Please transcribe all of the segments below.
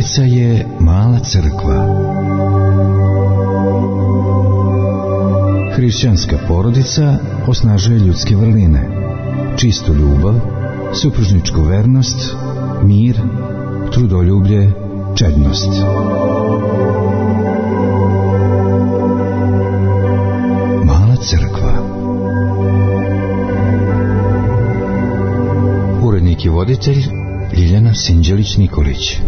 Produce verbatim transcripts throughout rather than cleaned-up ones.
Bogorodica je mala crkva. Hrišćanska porodica osnažuje ljudske vrline, čistu ljubav, supružničku vernost, mir, trudoljublje, čednost. Mala crkva. Urednik i voditelj Ljiljana Sinđelić-Nikolić.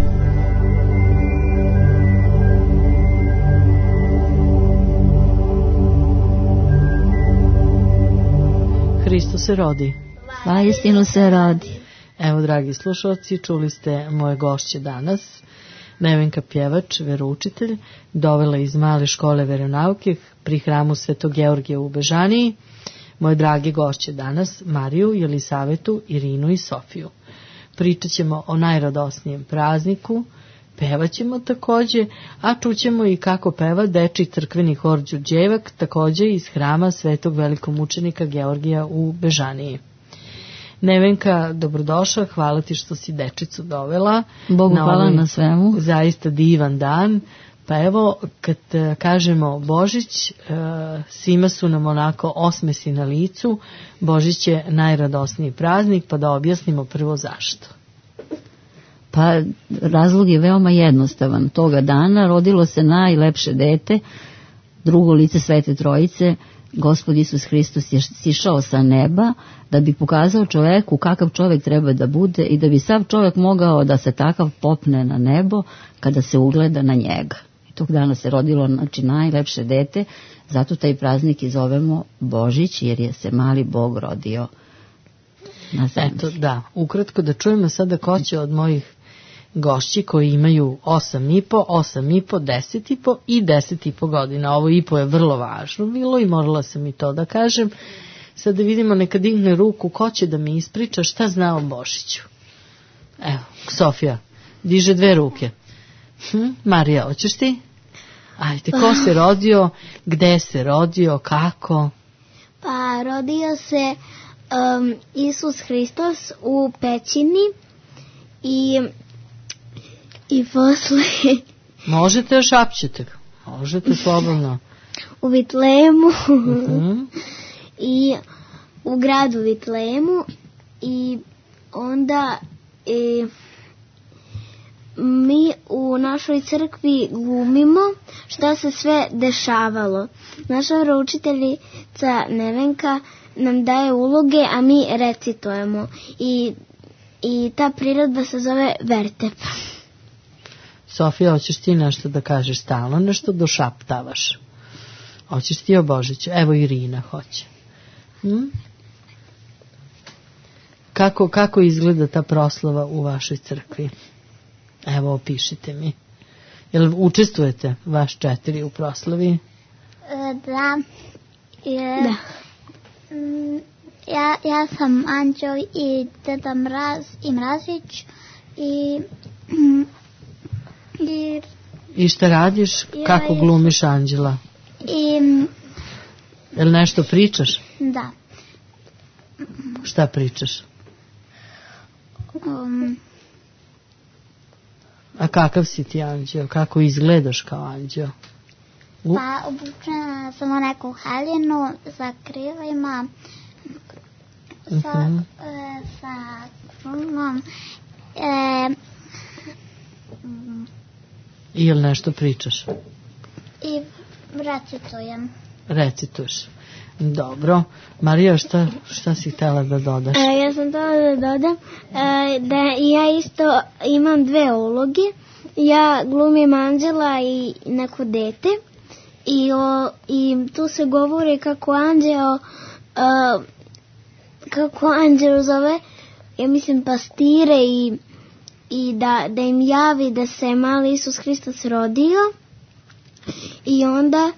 Hristos se rodi. Vaistinu se rodi. Evo, dragi slušalci, čuli ste moje gošće danas. Nevenka Pjevač, veroučitelj, dovela iz male škole veronauke pri hramu Svetog Georgija u Bežaniji. Moje dragi gošće danas, Mariju, Jelisavetu, Irinu i Sofiju. Pričat ćemo o najradosnijem prazniku, pevaćemo takođe, a čućemo i kako peva dečiji crkveni hor Đurđevak, takođe iz hrama Svetog velikomučenika Georgija u Bežaniji. Nevenka, dobrodošla, hvala ti što si dečicu dovela. Bogu na hvala ovaj na svemu. Zaista divan dan. Pa evo, kad kažemo Božić, svima su nam onako osmesi na licu. Božić je najradosniji praznik, pa da objasnimo prvo zašto. Pa razlog je veoma jednostavan. Toga dana rodilo se najlepše dete, drugo lice Svete Trojice. Gospod Isus Hristos je sišao sa neba da bi pokazao čoveku kakav čovek treba da bude i da bi sav čovek mogao da se takav popne na nebo kada se ugleda na njega. I tog dana se rodilo, znači, najlepše dete, zato taj praznik i zovemo Božić, jer je se mali Bog rodio na zemlji. Eto, da, ukratko da čujemo sada ko će od mojih gošći koji imaju osam i po, osam i po, deset i po i deset i po godina. Ovo i po je vrlo važno bilo i morala sam i to da kažem. Sad da vidimo, neka digne ruku, ko će da mi ispriča šta zna o Božiću. Evo, Sofija, diže dve ruke. Hm? Marija, hoćeš ti? Ajde, ko se rodio, gde se rodio, kako? Pa, rodio se um, Isus Hristos u pećini i i posle možete da šapćete, možete slobodno. U Vitlejemu uh-huh. i u gradu Vitlejemu i onda e, mi u našoj crkvi glumimo šta se sve dešavalo. Naša veroučiteljica Nevenka nam daje uloge, a mi recitujemo i, i ta priredba se zove Vertep. Sofija, hoćeš ti nešto da kažeš stalno, nešto došaptavaš? Hoćeš ti o Božiću? Evo Irina hoće. Hm? Kako, kako izgleda ta proslava u vašoj crkvi? Evo, opišite mi. Jel učestvujete vaš četiri u proslavi? Da. Je, da. Ja, ja sam Anđeo i Deda Mraz i Mrazić i... I, I šta radiš? I, kako glumiš Anđela? I, jel nešto pričaš? Da. Šta pričaš? Um, A kakav si ti Anđeo? Kako izgledaš kao Anđeo? U... Pa obučena sam u neku haljinu sa krilima, sa, uh-huh. e, sa krunom, e, I jel nešto pričaš? I recitujem. Recituješ. Dobro. Marija, šta, šta si htjela da dodaš? E, ja sam htjela da dodam e, da ja isto imam dve uloge. Ja glumim Anđela i neko dete. I, o, i tu se govori kako Anđeo e, kako Anđeo zove, ja mislim, pastire i i da, da im javi da se mali Isus Hristos rodio i onda,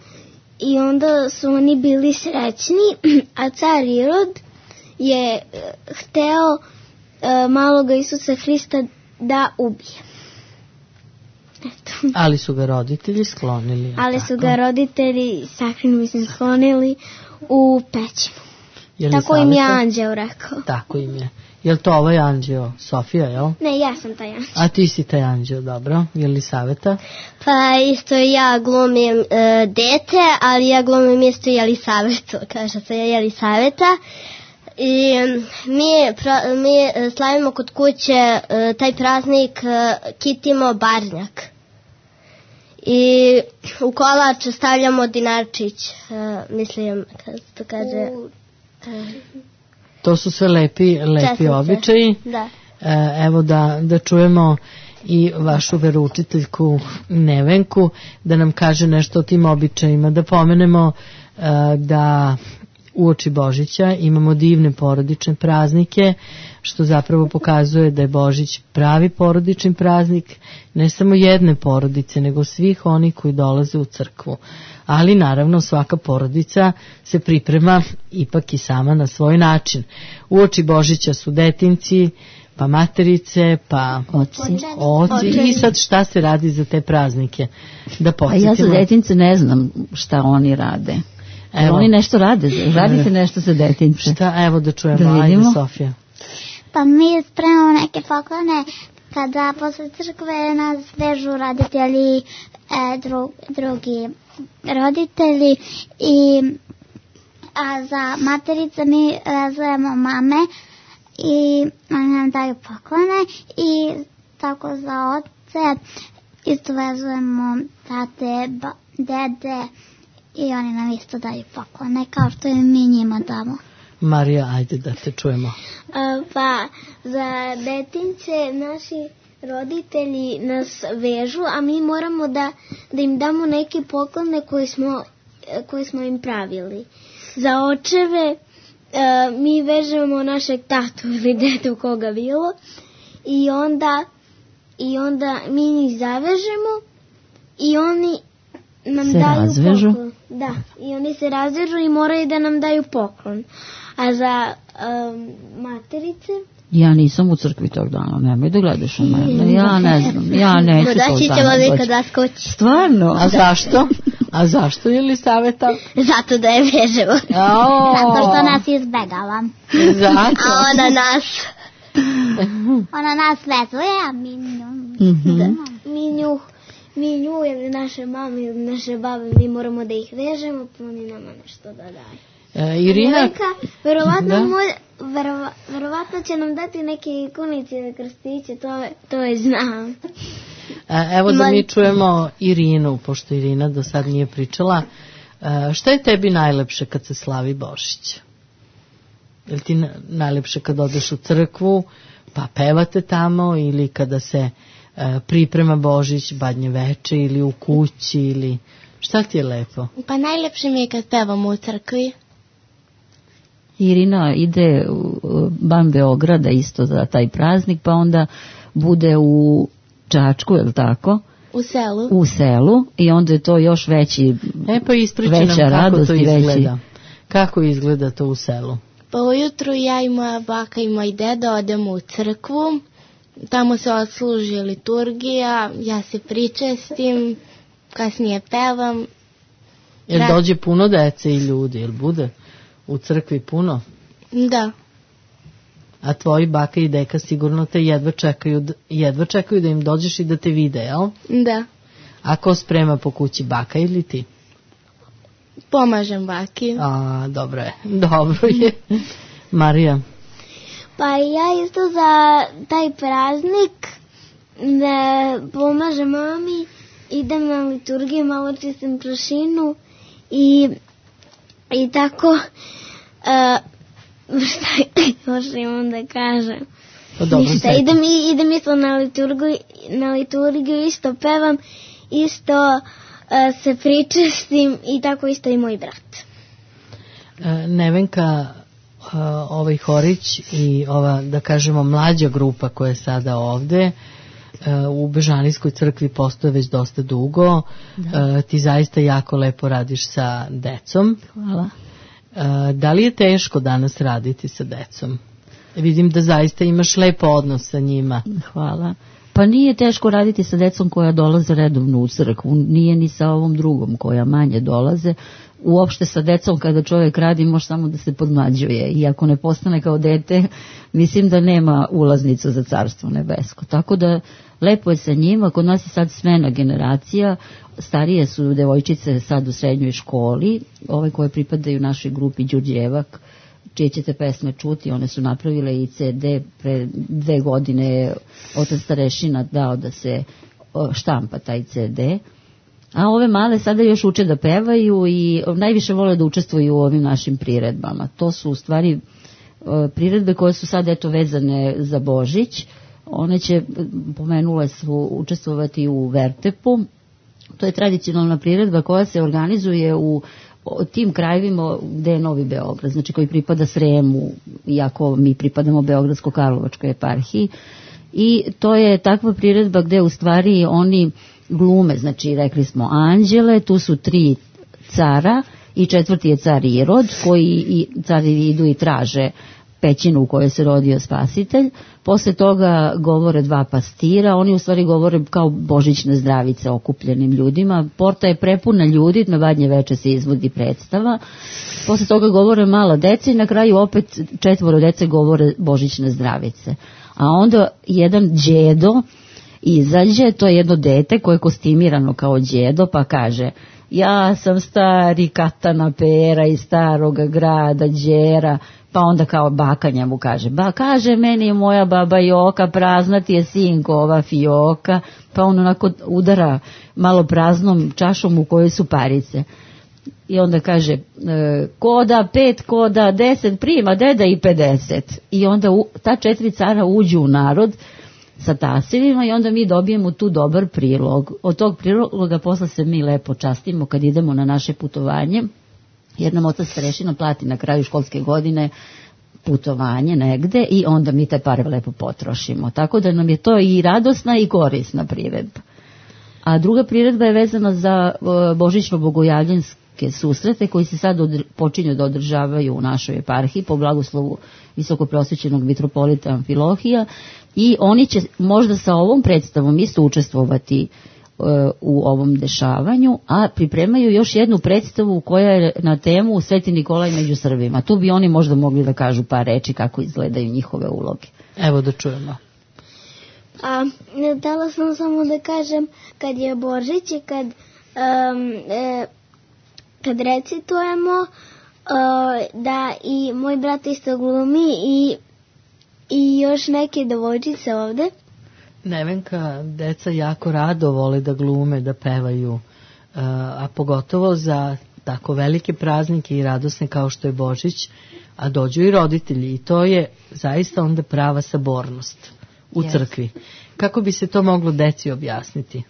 i onda su oni bili srećni, a car Irod je hteo uh, maloga Isusa Hrista da ubije. Eto. Ali su ga roditelji sklonili. Ali tako? su ga roditelji sakrino, mislim, sklonili u pećinu. Tako im je anđeo rekao. Tako im je. Je li to ovaj anđeo? Sofija, jel? Ne, ja sam taj anđeo. A ti si taj anđeo, dobro. Je li Saveta? Pa isto ja glumim uh, dete, ali ja glumim isto Jelisavetu, kaže se Jelisaveta. I mi, pra, mi slavimo kod kuće uh, taj praznik uh, kitimo barnjak. I u kolač stavljamo dinarčić, uh, mislim, kako to kaže... Uh, To su sve lepi, lepi Čestice. običaji. Da. E, evo da, da čujemo i vašu veroučiteljku Nevenku da nam kaže nešto o tim običajima. Da pomenemo e, da uoči Božića imamo divne porodične praznike, što zapravo pokazuje da je Božić pravi porodični praznik, ne samo jedne porodice, nego svih onih koji dolaze u crkvu. Ali naravno svaka porodica se priprema ipak i sama na svoj način. Uoči Božića su detinci, pa materice, pa Oci. oci. I sad šta se radi za te praznike? Da A podsjetimo. ja za detince ne znam šta oni rade. Jer Evo. oni nešto rade, radite nešto za detince. Šta, evo da čujemo, Da ajde vidimo. Sofija. Pa mi spremamo neke poklone kada posle crkve nas vežu roditelji, e, dru, drugi roditelji i a za materice mi vezujemo mame i oni nam daju poklone i tako za oce isto vezujemo tate, ba, dede i oni nam isto daju poklone kao što i mi njima damo. Marija, ajde da te čujemo. A, pa za detince naši roditelji nas vežu, a mi moramo da, da im damo neke poklone koje smo, koje smo im pravili. Za očeve a, mi vežemo našeg tatu ili dedu koga bilo i onda, i onda mi njih zavežemo i oni nam Se daju razvežu? poklon. Da, i oni se razvežu i moraju da nam daju poklon. A za um, materice? Ja nisam u crkvi tog dana, nemoj da gledaš u mene. Ja ne znam, ja neću No, tog doći ćemo dana vi doći. kod vas kući. Stvarno? A zašto? A zašto je li Saveta? Zato da je vežemo. Zato što nas izbegava. Zato. A ona nas. Ona nas vezuje, a mi nju. Mhm. Da, mi nju, mi nju ili naše mame ili naše babe, mi moramo da ih vežemo, pa oni nama nešto da daju. E, Irina, Nevenka, verovatno, Da. moj, verova, verovatno će nam dati neke ikonice ili krstiće, to, to je znam. e, evo da Ma- mi čujemo Irinu, pošto Irina do sad nije pričala. E, šta je tebi najlepše kad se slavi Božić? Je li ti na- najlepše kad odeš u crkvu, pa pevate tamo, ili kada se e, priprema Božić, badnje veče, ili u kući, ili šta ti je lepo? Pa najlepše mi je kad pevamo u crkvi. Irina ide u u van Beograda isto za taj praznik, pa onda bude u Čačku, je li tako? U selu. U selu i onda je to još veći, E pa ispričaj nam veća kako radost to i veći. izgleda. Kako izgleda to u selu? Pa ujutru ja i moja baka i moj deda odemo u crkvu. Tamo se odsluži liturgija, ja se pričestim, kasnije pevam. Jel Da. dođe puno dece i ljudi, jel bude u crkvi puno? Da, A tvoji baka i deka sigurno te jedva čekaju, d- jedva čekaju da im dođeš i da te vide, jel? da. A ko sprema po kući, baka ili ti? Pomažem baki. A, dobro je, dobro je. Marija, Pa ja isto za taj praznik ne pomažem mami, idem na liturgiju, malo čistim prašinu i, i tako uh, šta još imam da kažem. pa dobro, Ništa, sve. idem, i- idem isto na liturgiju, na liturgiju isto pevam, isto uh, se pričestim i tako isto i moj brat. E, Nevenka, e, ovaj Horić i ova, da kažemo, mlađa grupa koja je sada ovde, e, u Bežanijskoj crkvi postoje već dosta dugo. E, ti zaista jako lepo radiš sa decom. hvala. E, da li je teško danas raditi sa decom? Vidim da zaista imaš lepo odnos sa njima. Hvala. Pa nije teško raditi sa decom koja dolaze redovno u crkvu, nije ni sa ovom drugom koja manje dolaze. Uopšte sa decom kada čovjek radi može samo da se podmlađuje i ako ne postane kao dete, mislim da nema ulaznicu za Carstvo nebesko. Tako da lepo je sa njima, kod nas je sad smena generacija, starije su devojčice sad u srednjoj školi, ove koje pripadaju našoj grupi Đurđevak, čije ćete pesme čuti, one su napravile i ce de, pre dve godine je otac starešina dao da se štampa taj ce de, a ove male sada još uče da pevaju i najviše vole da učestvuju u ovim našim priredbama. To su u stvari priredbe koje su sad eto vezane za Božić, one će, pomenule su, učestvovati u Vertepu, to je tradicionalna priredba koja se organizuje u tim krajevima gde je Novi Beograd, znači koji pripada Sremu, iako mi pripadamo Beogradsko-Karlovačkoj eparhiji, i to je takva priredba gde u stvari oni glume, znači rekli smo anđele, tu su tri cara i četvrti je car Irod, koji i cari idu i traže pećinu u kojoj se rodio spasitelj. Posle toga govore dva pastira, oni u stvari govore kao božićne zdravice okupljenim ljudima. Porta je prepuna ljudi, na Badnje veče se izvodi predstava. Posle toga govore mala deca i na kraju opet četvoro dece govore božićne zdravice. A onda jedan đedo izađe, to je jedno dete koje je kostimirano kao đedo, pa kaže: ja sam stari katana pera iz staroga grada Đera. Pa onda kao baka njemu kaže: ba, kaže meni moja baba Joka, prazna ti je sinko ova fioka. Pa on onako udara malo praznom čašom u kojoj su parice. I onda kaže: e, koda pet, koda deset, prima deda i pedeset. I onda u, ta četiri cara uđu u narod sa tasivima i onda mi dobijemo tu dobar prilog. Od tog priloga posle se mi lepo častimo kad idemo na naše putovanje, jer nam otac starešina plati na kraju školske godine putovanje negde i onda mi te pare lepo potrošimo. Tako da nam je to i radosna i korisna priredba. A druga priredba je vezana za božićno-bogojavljanske susrete koji se sad odr- počinju da održavaju u našoj eparhiji po blagoslovu visokoprosvećenog mitropolita Amfilohija i oni će možda sa ovom predstavom isto učestvovati u ovom dešavanju, a pripremaju još jednu predstavu koja je na temu Sveti Nikolaj među Srbima. Tu bi oni možda mogli da kažu par reči kako izgledaju njihove uloge. Evo da čujemo. A, htjela sam samo da kažem, kad je Božić i kad, um, e, kad recitujemo, uh, da i moj brat isto glumi i, i još neke devojčice ovde. Nevenka, deca jako rado vole da glume, da pevaju, a pogotovo za tako velike praznike i radosne kao što je Božić, a dođu i roditelji i to je zaista onda prava sabornost u yes. crkvi. Kako bi se to moglo deci objasniti?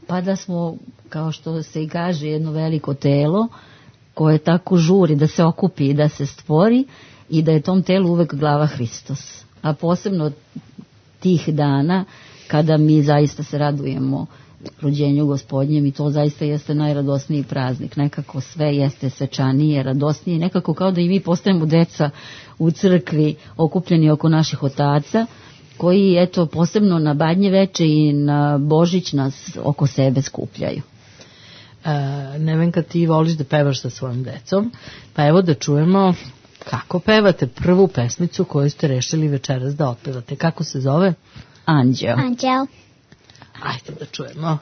Pa da smo, kao što se i kaže, jedno veliko telo koje tako žuri da se okupi i da se stvori i da je tom telu uvek glava Hristos. A posebno tih dana kada mi zaista se radujemo rođenju Gospodnjem i to zaista jeste najradosniji praznik. Nekako sve jeste svečanije, radosnije, nekako kao da i mi postajemo deca u crkvi okupljeni oko naših otaca koji eto posebno na Badnje veče i na Božić nas oko sebe skupljaju. E, Nevenka, ti voliš da pevaš sa svojom decom, pa evo da čujemo kako pevate prvu pesmicu koju ste rešili večeras da otpevate. Kako se zove? Anđeo. Anđeo. Ajde da čujemo.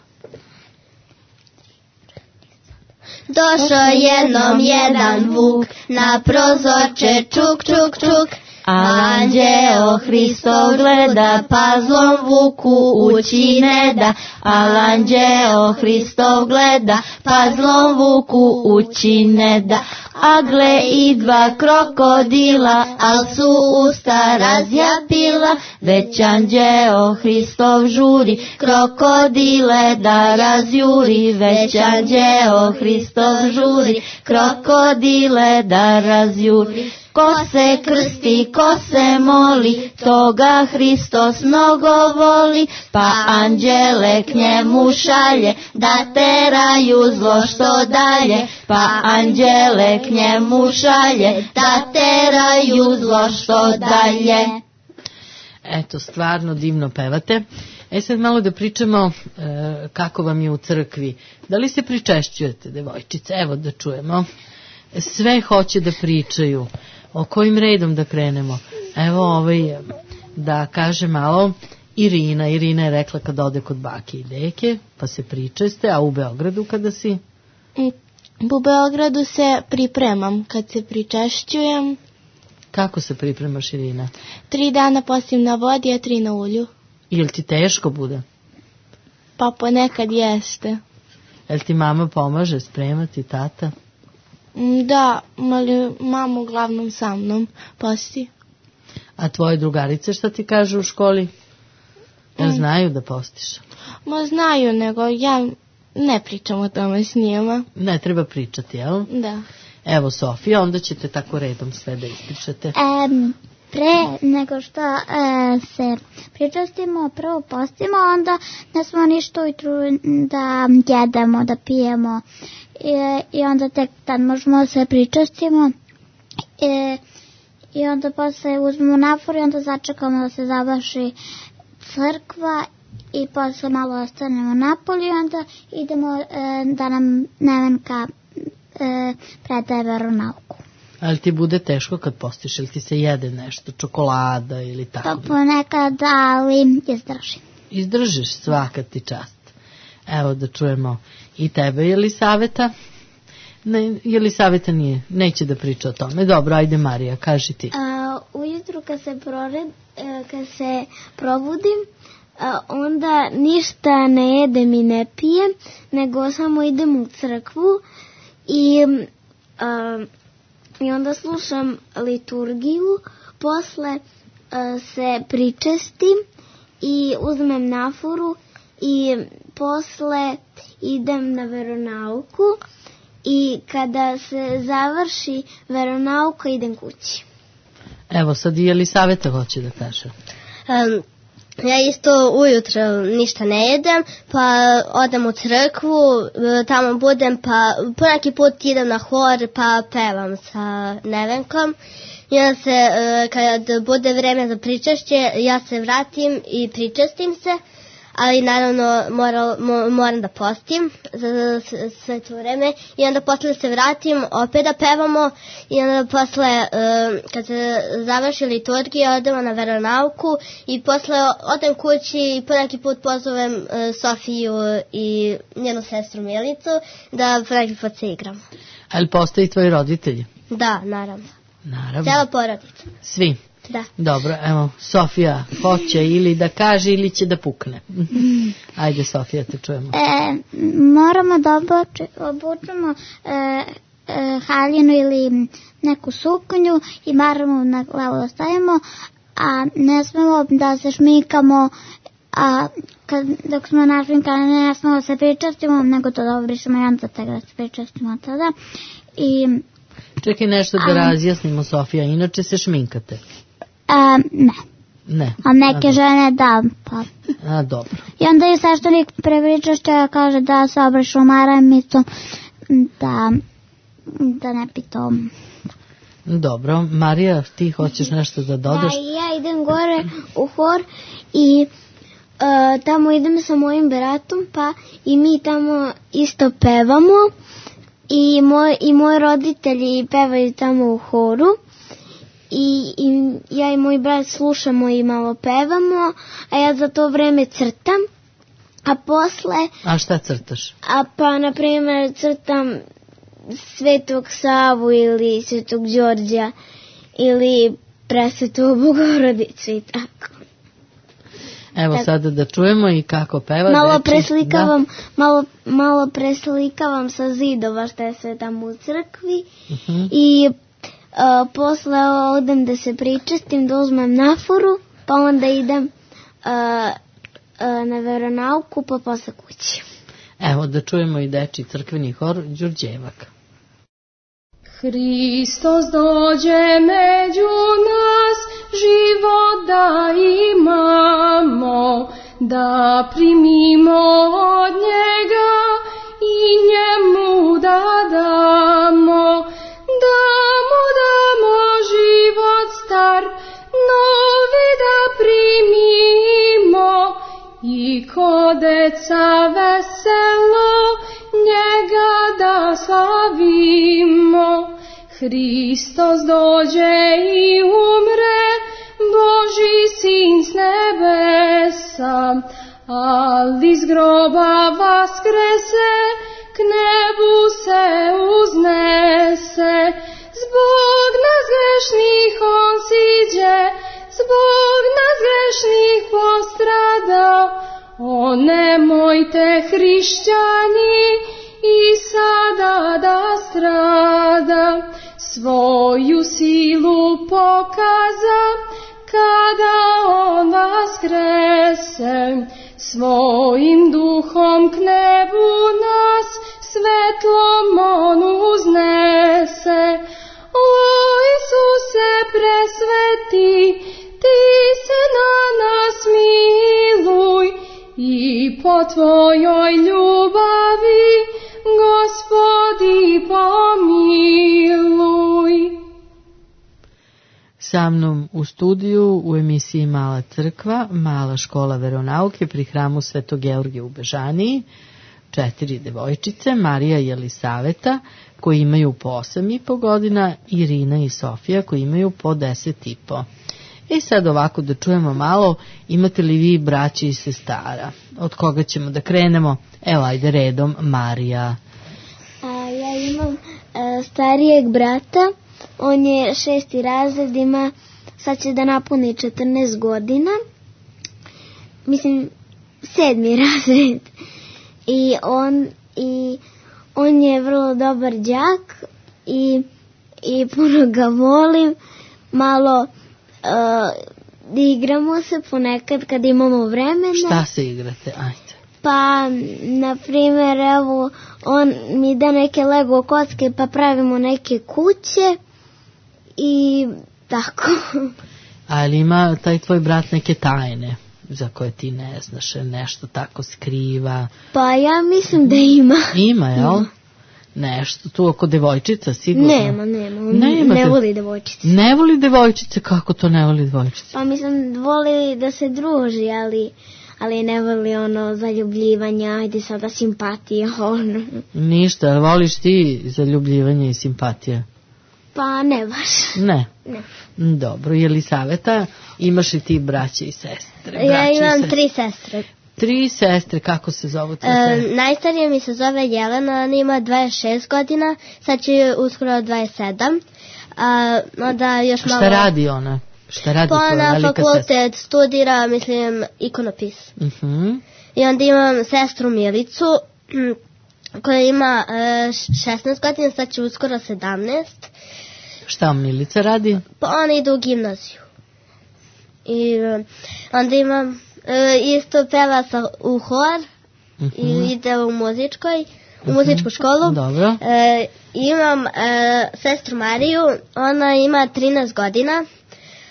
Došao jednom jedan vuk, na prozorče čuk, čuk, čuk. Anđeo Hristov gleda, pa zlom vuku ući ne da. Al anđeo Hristov gleda, pa zlom vuku ući ne da. A gle i dva krokodila, al su usta razjapila. Već anđeo Hristov žuri, krokodile da razjuri. Već anđeo Hristov žuri, krokodile da razjuri. Ko se krsti, ko se moli, toga Hristos mnogo voli, pa anđele k njemu šalje, da teraju zlo što dalje, pa anđele k njemu šalje, da teraju zlo što dalje. Eto, stvarno divno pevate. E sad malo da pričamo e, kako vam je u crkvi. Da li se pričešćujete, devojčice? Evo da čujemo. Sve hoće da pričaju. O kojim redom da krenemo? Evo ovaj, da kaže malo Irina. Irina je rekla kad ode kod bake i deke, pa se pričeste, a u Beogradu kada si? U Beogradu se pripremam kad se pričešćujem. Kako se pripremaš, Irina? Tri dana postim na vodi, a tri na ulju. Jel ti teško bude? Pa ponekad jeste. Jel ti mama pomaže spremati, tata? Da, ali mama uglavnom sa mnom posti. A tvoje drugarice šta ti kažu u školi? Jel znaju da postiš? Ma znaju, nego ja ne pričam o tome s njima. Ne treba pričati, jel? Da. Evo, Sofija, onda ćete tako redom sve da ispričate. Um, pre nego što e, se pričastimo, prvo postimo, onda ne smo ništa ujutru da jedemo, da pijemo e, i onda tek tad možemo se pričastimo e, i onda posle uzmemo nafor i onda začekamo da se završi crkva i posle malo ostanemo napolje i onda idemo e, da nam Nevenka e, predaje veronauku. Ali ti bude teško kad postiš, ili ti se jede nešto, čokolada ili tako? Pa ponekad, ali izdržim. Izdržiš, svaka ti čast. Evo da čujemo i tebe, Jelisaveta. Ne, Jelisaveta nije, neće da priča o tome. Dobro, ajde Marija, kaži ti. A, ujutru kad se, prored, kad se probudim, a, onda ništa ne jedem i ne pijem, nego samo idem u crkvu i... A, I onda slušam liturgiju, posle uh, se pričestim i uzmem naforu i posle idem na veronauku i kada se završi veronauka idem kući. Evo sad i Jelisaveta hoće da kaže. Um, Ja isto ujutro ništa ne jedem, pa odem u crkvu, tamo budem, pa poneki put idem na hor, pa pevam sa Nevenkom. I onda se, kad bude vreme za pričešće, ja se vratim i pričestim se, ali naravno moram, moram da postim za sve to vreme. I onda posle se vratim, opet da pevamo i onda posle, kad se završi liturgija, odemo na veronauku i posle odem kući i poneki put pozovem Sofiju i njenu sestru Milicu da poneki put se igramo. Ali postoji tvoji roditelji? Da, naravno. Naravno. Cijela porodica. Svi? Da. Dobro, evo, Sofija hoće ili da kaže ili će da pukne. Ajde, Sofija, te čujemo. E, moramo da obuči, obučemo e, e, haljinu ili neku suknju i maramo na glavu da stavimo, a ne smemo da se šminkamo, a kad, dok smo našminkani ne smemo da se pričastimo, nego to da obrišemo i onda tek da se pričastimo tada. I, Čekaj nešto da a, razjasnimo, Sofija, inače se šminkate? A, ne. Ne. A neke a, žene da, pa. A, dobro. I onda je sveštenik pre pričašća kaže da se obrišu maramicom, da, da ne pitom. Dobro. Marija, ti hoćeš nešto da dodaš? Da, ja idem gore u hor i uh, tamo idem sa mojim bratom, pa i mi tamo isto pevamo i, moj, i moji roditelji pevaju tamo u horu. I, i ja i moj brat slušamo i malo pevamo, a ja za to vreme crtam, a posle... A šta crtaš? A pa, na primjer, crtam Svetog Savu ili Svetog Đorđa ili Presvetu Bogorodicu i tako. Evo tako. Sada da čujemo i kako peva. Malo deči, preslikavam, malo, malo preslikavam sa zidova što je sve tamo u crkvi uh-huh. i... Uh, posle odem da se pričestim, da uzmem naforu, pa onda idem uh, uh, na veronauku, pa posle kući. Evo da čujemo i deči crkveni hor Đurđevak. Hristos dođe među nas, život da imamo, da primimo od njega i njemu da damo, da mu damo život star, novi da primimo. slavimo. Hristos dođe i umre, Božji sin s nebesa, ali iz groba vaskrese, k nebu se uznese. Zbog nas grešnih on siđe, zbog nas grešnih postrada. O nemojte, hrišćani, i sada da strada. Svoju silu pokaza, kada on vaskrese. Svojim duhom k nebu nas svetlom on uznese. O Isuse presveti, ti se na nas miluj i po tvojoj ljubavi, Gospodi, pomiluj. Sa mnom u studiju u emisiji Mala crkva, Mala škola veronauke pri hramu Svetog Georgija u Bežaniji, četiri devojčice, Marija i Jelisaveta, koji imaju po osam i po godina, Irina i Sofija, koji imaju po deset i po. I sad ovako da čujemo malo, imate li vi braće i sestara? Od koga ćemo da krenemo? Evo, ajde redom, Marija. A, ja imam a, starijeg brata, on je šesti razred, ima, sad će da napuni četrnaest godina, mislim, sedmi razred. I on, i on je vrlo dobar đak i, i puno ga volim, malo Uh, igramo se ponekad kad imamo vremena. Šta se igrate? Ajde. Pa, na primjer, evo, on mi da neke Lego kocke pa pravimo neke kuće i tako. Ali ima taj tvoj brat neke tajne za koje ti ne znaš, nešto tako skriva? Pa ja mislim da ima. Ima, jel? Ima. Nešto tu oko devojčica, sigurno? Nema, nema, on nema ne de... voli devojčice. Ne voli devojčice? Kako to ne voli devojčice? Pa mislim, voli da se druži, ali, ali ne voli ono zaljubljivanja, ajde sada simpatija, ono. Ništa, ali voliš ti zaljubljivanje i simpatija? Pa ne baš. Ne? Ne. Dobro, Jelisaveta, imaš li ti braće i sestre? Ja imam tri sestre. Tri sestre, kako se zovu te e, sestre? Najstarija mi se zove Jelena, ona ima dvadeset šest godina, sad će uskoro dvadeset sedam. A, onda još malo... Šta radi ona? Šta radi pa tvoja na velika fakultet sestra? studira, mislim, ikonopis. Uh-huh. I onda imam sestru Milicu, koja ima e, šesnaest godina, sad će uskoro sedamnaest. Šta Milica radi? Pa ona ide u gimnaziju. I onda imam... E, isto peva sa, u hor, uh-huh. i ide u muzičkoj, u uh-huh. muzičku školu. Dobro. E, imam e, sestru Mariju, ona ima trinaest godina.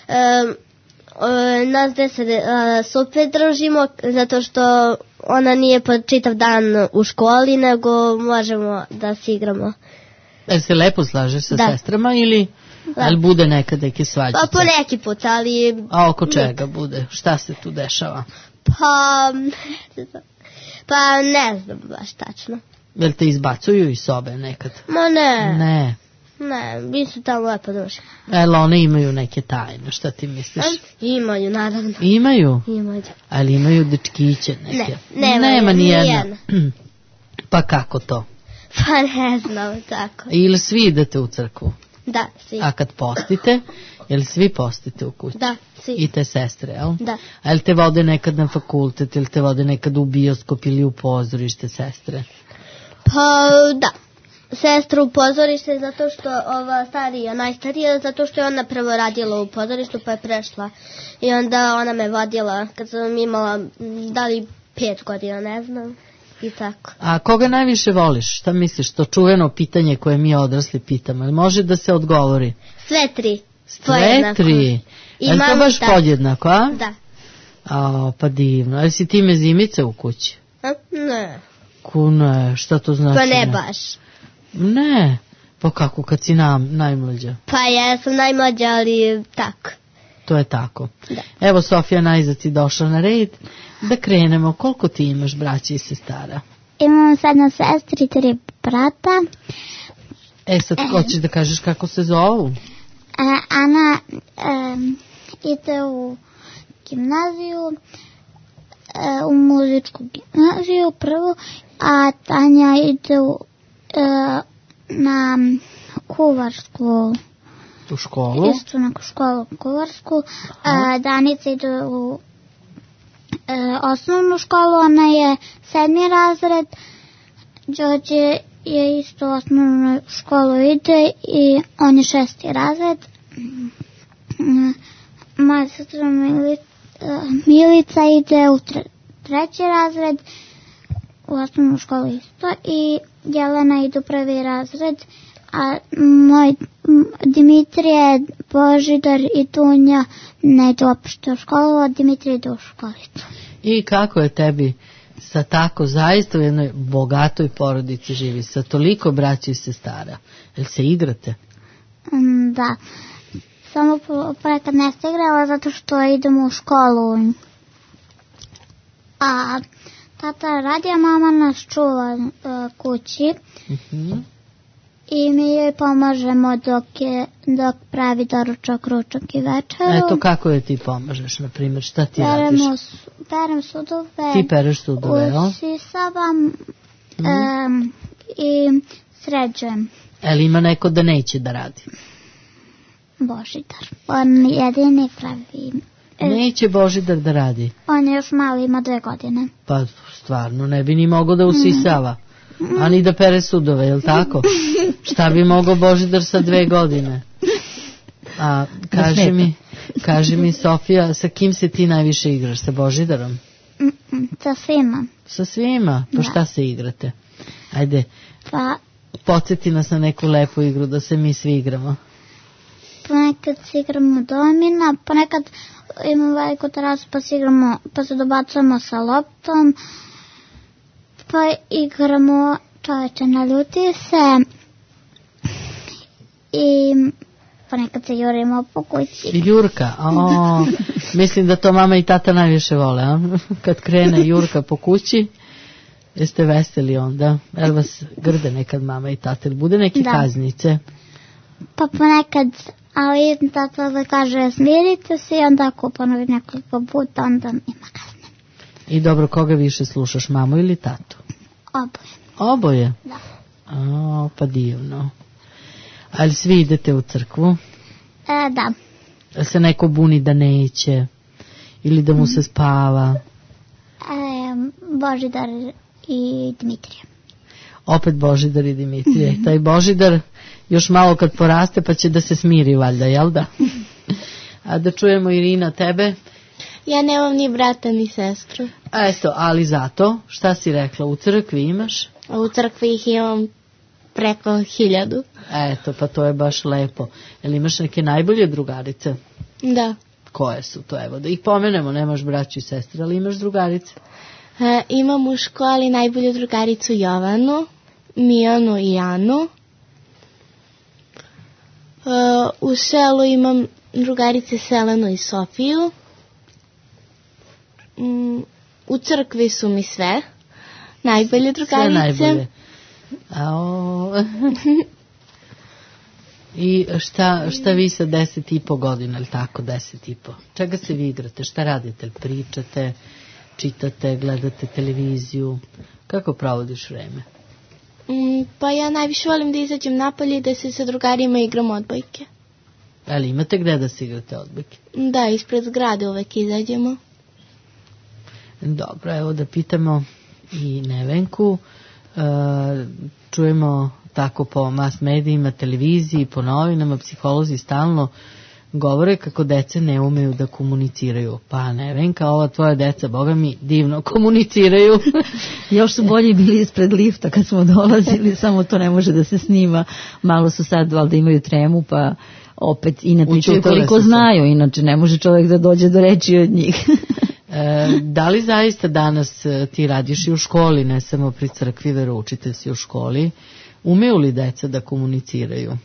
E, e, nas deset e, super družimo, zato što ona nije po čitav dan u školi, nego možemo da se igramo. Jel se lepo slažeš sa da. sestrama ili... Da. Ali bude nekad neke svađice? Pa po neki put, ali... A oko čega bude? Šta se tu dešava? Pa... Pa ne znam baš tačno. Jel te izbacuju iz sobe nekad? Ma ne. Ne. Ne, mi su tamo lepo došli. Jel one imaju neke tajne, šta ti misliš? Imaju, naravno. Imaju? Imaju. Ali imaju dečkiće neke? Ne, nema, nema ni jedna. jedna. Pa kako to? Pa ne znam, tako. Ili svi idete u crkvu? Da, svi. A kad postite, jel svi postite u kući? Da, svi. I te sestre, jel? Da. A jel te vode nekad na fakultet, jel te vode nekad u bioskop ili u pozorište sestre? Pa da. Sestra u pozorište zato što ova starija, najstarija, zato što je ona prvo radila u pozorištu pa je prešla. I onda ona me vodila kad sam imala, da li pet godina, ne znam. I tako. A koga najviše voliš? Šta misliš? To čuveno pitanje koje mi odrasli pitamo. Može da se odgovori? Sve tri. Sve tri? I je to baš podjednako, a? Da. A, pa divno. Ali si ti mezimice u kući? A? Ne. Kune, šta to znači? Pa ne baš. Ne. Pa kako kad si nam, najmlađa? Pa ja sam najmlađa, ali tako. To je tako. Da. Evo Sofija najzad si došla na red. Da krenemo. Koliko ti imaš braća i sestara? Imam sedam sestri i tri brata. E sad, hoćeš da kažeš kako se zovu? E, Ana e, ide u gimnaziju, e, u muzičku gimnaziju prvo, a Tanja ide u, e, na kuvarsku u školu. Isto na školu kuvarsku. E, Danica ide u e, osnovnu školu, ona je sedmi razred. Đorđe je isto u osnovnu školu ide i on je šesti razred. Moja sestra Milica, Milica ide u tre, treći razred u osnovnu školu isto i Jelena ide u prvi razred, a moj Dimitrije, Božidar i Dunja ne ide uopšte u školu, a Dimitrije ide u školicu. I kako je tebi sa tako zaista u jednoj bogatoj porodici živi, sa toliko braća i sestara? Jel se igrate? Da, samo ponekad ne se igrala zato što idemo u školu. A tata radi, a mama nas čuva uh, kući. Uh-huh. I mi joj pomažemo dok, je, dok pravi doručak, ručak i večeru. Eto, kako je ti pomažeš, na primjer, šta ti Peremo, radiš? Perem sudove. Ti pereš sudove, jel? Usisavam mm. um, i sređujem. Ali ima neko da neće da radi? Božidar. On jedini pravi. Neće Božidar da radi? On je još mali, ima dve godine. Pa stvarno, ne bi ni mogao da usisava. Mm. A ni da pere sudove, jel tako? Šta bi mogao Božidar sa dve godine? A kaži mi, kaži mi Sofija, sa kim se ti najviše igraš? Sa Božidarom? Mm-mm, sa svima. Sa svima? Pa šta se igrate? Ajde, pa, podsjeti nas na neku lepu igru da se mi svi igramo. Ponekad se igramo domina, ponekad imamo veliku terasu pa se igramo, pa se dobacujemo sa loptom, pa igramo čoveče naljuti se i ponekad se jurimo po kući. Jurka, o, mislim da to mama i tata najviše vole, a? Kad krene Jurka po kući, jeste veseli onda, jel vas grde nekad mama i tata, ili bude neke da. Kaznice? Pa ponekad, ali tata da kaže smirite se i onda ako ponovi nekoliko puta, onda ima kazne. I dobro, koga više slušaš, mamu ili tatu? Oboje. Oboje? Da. O, pa divno. Ali svi idete u crkvu? E, da. Da se neko buni da neće? Ili da mu se spava? E, Božidar i Dimitrije. Opet Božidar i Dimitrije. Taj Božidar još malo kad poraste pa će da se smiri valjda, jel da? A da čujemo Irina tebe? Ja nemam ni brata ni sestru. A eto, ali zato, šta si rekla, u crkvi imaš? A u crkvi ih imam preko hiljadu. Eto, pa to je baš lepo. Jel imaš neke najbolje drugarice? Da. Koje su to? Evo, da ih pomenemo, nemaš braću i sestre, ali imaš drugarice? E, imam u školi najbolju drugaricu Jovanu, Mijanu i Anu. E, u selu imam drugarice Selenu i Sofiju. Mm, u crkvi su mi sve najbolje drugarice. Sve najbolje. Ao. I šta, šta vi sa deset i po godina, ili tako, deset i po? Čega se vi igrate? Šta radite? Pričate, čitate, gledate televiziju? Kako provodiš vreme? Mm, pa ja najviše volim da izađem napolje i da se sa drugarima igram odbojke. Ali imate gde da se igrate odbojke? Da, ispred zgrade uvek izađemo. Dobro, evo da pitamo i Nevenku. E, čujemo tako po mass medijima, televiziji, po novinama, psiholozi stalno govore kako dece ne umeju da komuniciraju. Pa Nevenka, ova tvoja deca, boga mi, divno komuniciraju. Još su bolji bili ispred lifta kad smo dolazili, samo to ne može da se snima. Malo su sad valjda imaju tremu, pa opet i ne pričaju koliko znaju, inače ne može čovjek da dođe do reči od njih. E, da li zaista danas ti radiš i u školi, ne samo pri crkvi, veroučitelj si u školi, umeju li deca da komuniciraju?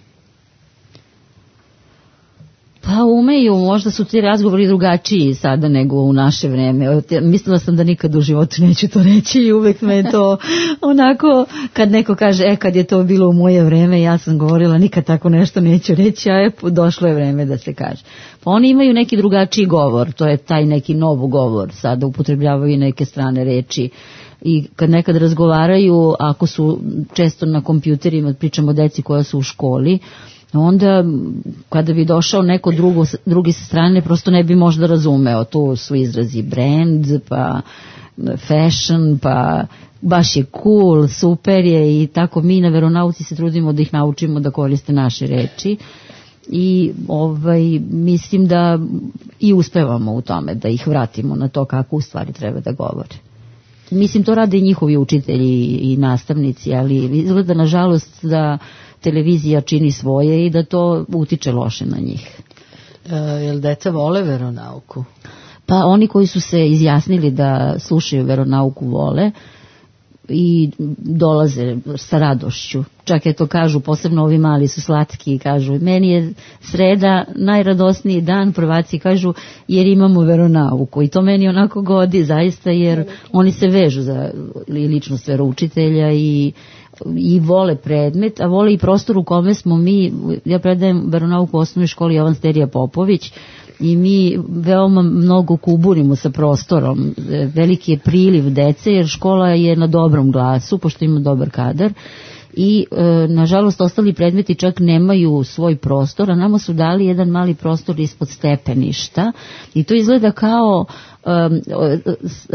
Pa umeju, možda su ti razgovori drugačiji sada nego u naše vreme. Mislila sam da nikad u životu neću to reći i uvek me je to onako, kad neko kaže, e kad je to bilo u moje vreme, ja sam govorila nikad tako nešto neću reći, a je došlo je vreme da se kaže. Pa oni imaju neki drugačiji govor, to je taj neki novu govor, sada upotrebljavaju neke strane reči. I kad nekad razgovaraju, ako su često na kompjuterima, pričamo o deci koja su u školi, onda kada bi došao neko drugo, drugi sa strane, prosto ne bi možda razumeo. Tu su izrazi brand, pa fashion, pa baš je cool, super je, i tako mi na veronauci se trudimo da ih naučimo da koriste naše reči. I ovaj, mislim da i uspevamo u tome, da ih vratimo na to kako u stvari treba da govore. Mislim, to rade i njihovi učitelji i nastavnici, ali izgleda nažalost da televizija čini svoje i da to utiče loše na njih. E, jel deca vole veronauku? Pa oni koji su se izjasnili da slušaju veronauku vole i dolaze sa radošću. Čak je to kažu, posebno ovi mali su slatki i kažu, meni je sreda najradosniji dan, prvaci kažu, jer imamo veronauku. I to meni onako godi zaista, jer oni se vežu za ličnost veroučitelja i i vole predmet, a vole i prostor u kome smo mi. Ja predajem veronauku u osnovnoj školi Jovan Sterija Popović i mi veoma mnogo kuburimo sa prostorom. Veliki je priliv dece jer škola je na dobrom glasu, pošto ima dobar kadar, i e, nažalost ostali predmeti čak nemaju svoj prostor, a nama su dali jedan mali prostor ispod stepeništa i to izgleda kao um,